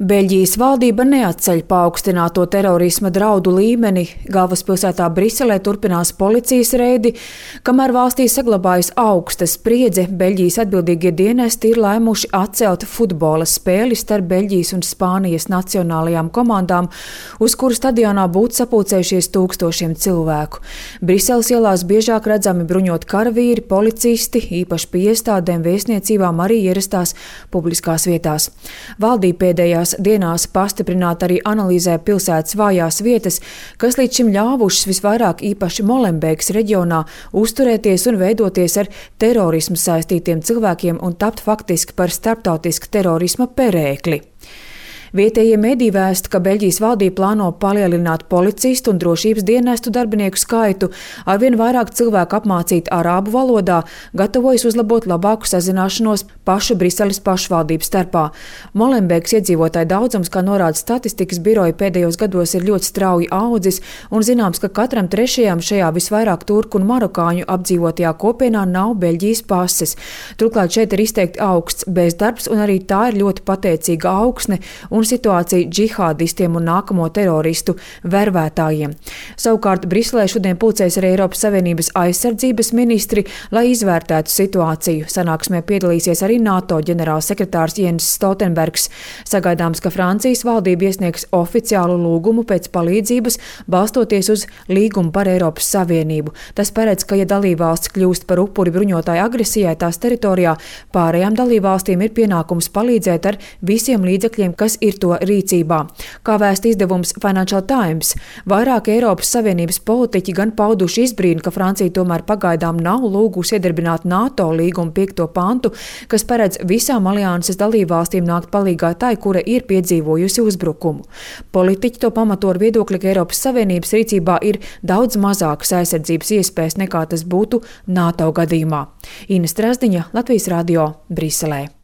Beļģijas valdība neatceļ paaugstināto terorisma draudu līmeni. Galvaspilsētā Briselē turpinās policijas reidi, kamēr valstī saglabājas augsta spriedze. Beļģijas atbildīgie dienesti ir lēmuši atcelt futbola spēli starp Beļģijas un Spānijas nacionālajām komandām, uz kuru stadionā būtu sapulcējušies tūkstošiem cilvēku. Briseles ielās biežāk redzami bruņot karavīri, policisti, īpaši pie iestādēm, vēstniecībām arī ierastās publiskās vietās. Valdība pēdējās dienās pastiprināt arī analizē pilsētas vājās vietas, kas līdz šim ļāvušas visvairāk īpaši Molenbeekas reģionā uzturēties un veidoties ar terorismu saistītiem cilvēkiem un tapt faktiski par starptautisku terorisma perēkli. Vietējie mediji vēsta, ka Beļģijas valdība plāno palielināt policistu un drošības dienestu darbinieku skaitu, arvien vairāk cilvēku apmācīt arābu valodā, gatavojas uzlabot labāku sazināšanos pašu Briseles pašvaldības starpā. Molenbeekas iedzīvotāju daudzums, kā norāda statistikas biroja, pēdējos gados ir ļoti strauji audzis, un zināms, ka katram trešajam šajā visvairāk turku un marokāņu apdzīvotajā kopienā nav Beļģijas pases. Turklāt šeit ir izteikti augsts bezdarbs, un arī tā ir ļoti pateicīga augsne un situācija džihādistiem un nākamo teroristu vervētājiem. Savukārt Briselē šodien pulcēs arī Eiropas Savienības aizsardzības ministri, lai izvērtētu situāciju. Sanāksmē piedalīsies arī NATO ģenerālsekretārs Jens Stoltenbergs. Sagaidāms, ka Francijas valdība iesniegs oficiālu lūgumu pēc palīdzības, balstoties uz līgumu par Eiropas Savienību. Tas paredz, ka ja dalībvalsts kļūst par upuri bruņotāju agresijai tās teritorijā, pārējām dalībvalstīm ir pienākums palīdzēt ar visiem līdzekļiem, kas ir to rīcībā. Kā vēsta izdevums Financial Times, vairāk Eiropas Savienības politiķi gan pauduši izbrīnu, ka Francija tomēr pagaidām nav lūgusi iedarbināt NATO līguma 5. pantu, kas paredz visām alianses dalībvalstīm nākt palīgā tai, kura ir piedzīvojusi uzbrukumu. Politiķi to pamato ar viedokli, ka Eiropas Savienības rīcībā ir daudz mazākas aizsardzības iespējas nekā tas būtu NATO gadījumā. Ina Strazdiņa, Latvijas radio, Briselē.